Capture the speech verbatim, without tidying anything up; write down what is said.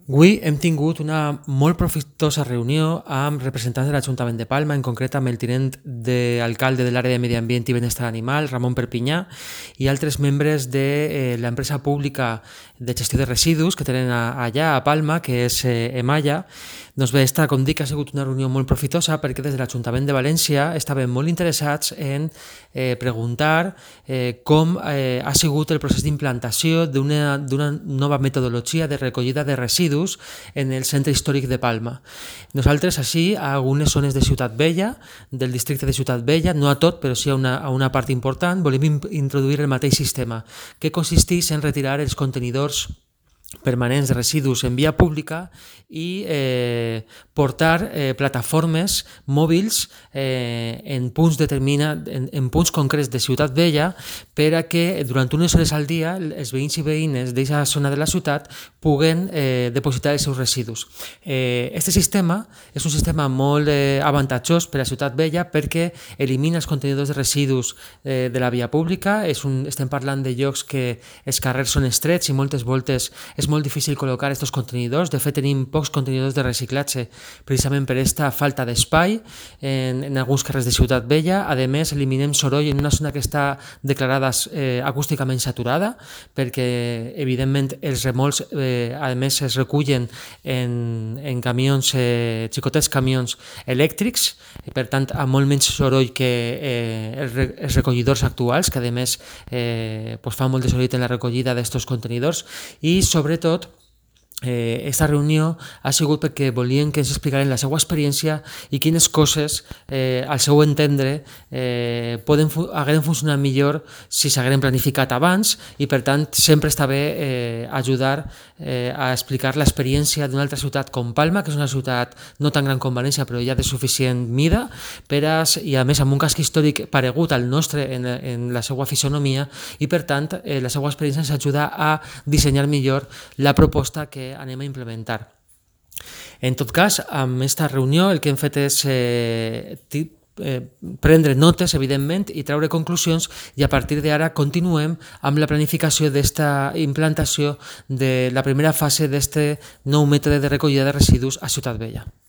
Avui hem tingut una molt profitosa reunió amb representants de l'Ajuntament de Palma, en concret amb el tinent d'alcalde de l'àrea de Medi Ambient i Benestar Animal, Ramon Perpinyà, i altres membres de eh, l'empresa pública de gestió de residus que tenen a, allà a Palma, que és eh, Emalla. Doncs bé, esta, com dic, ha sigut una reunió molt profitosa perquè des de l'Ajuntament de València estaven molt interessats en eh, preguntar eh, com eh, ha sigut el procés d'implantació d'una nova metodologia de recollida de residus en el centre històric de Palma. Nosaltres, així, a algunes zones de Ciutat Vella, del districte de Ciutat Vella, no a tot, però sí a una, a una part important, volem introduir el mateix sistema, que consisteix en retirar els contenidors permanents de residus en via pública i eh, portar eh, plataformes mòbils eh, en punts determinats, en, en punts concrets de Ciutat Vella, per a que durant unes hores al dia els veïns i veïnes d'aquesta zona de la ciutat puguen eh, depositar els seus residus. Eh, este sistema és un sistema molt eh, avantatjós per a Ciutat Vella perquè elimina els contenidors de residus eh, de la via pública. És un, estem parlant de llocs que els carrers són estrets i moltes voltes és molt difícil col·locar aquests contenidors. De fet, tenim pocs contenidors de reciclatge precisament per aquesta falta d'espai en, en alguns carrers de Ciutat Vella. A més, eliminem soroll en una zona que està declarada eh, acústicament saturada, perquè, evidentment, els remolcs, eh, a més, es recullen en, en camions, eh, xicotets camions elèctrics, per tant, amb molt menys soroll que eh, els, els recollidors actuals, que, a més, eh, pues, fan molt de soroll en la recollida d'aquests contenidors. I, sobretot, Eh, esta reunió ha sigut perquè volien que ens explicaren la seva experiència i quines coses, eh, al seu entendre, eh, poden, hagueren funcionat millor si s'hagueren planificat abans, i per tant sempre està bé eh, ajudar eh, a explicar l'experiència d'una altra ciutat com Palma, que és una ciutat no tan gran com València però ja de suficient mida, per a, i a més amb un casc històric paregut al nostre en, en la seva fisonomia, i per tant eh, la seva experiència ens ajuda a dissenyar millor la proposta que anem a implementar. En tot cas, amb aquesta reunió el que hem fet és eh, eh, prendre notes, evidentment, i treure conclusions, i a partir d'ara continuem amb la planificació d'esta implantació de la primera fase d'aquest nou mètode de recollida de residus a Ciutat Vella.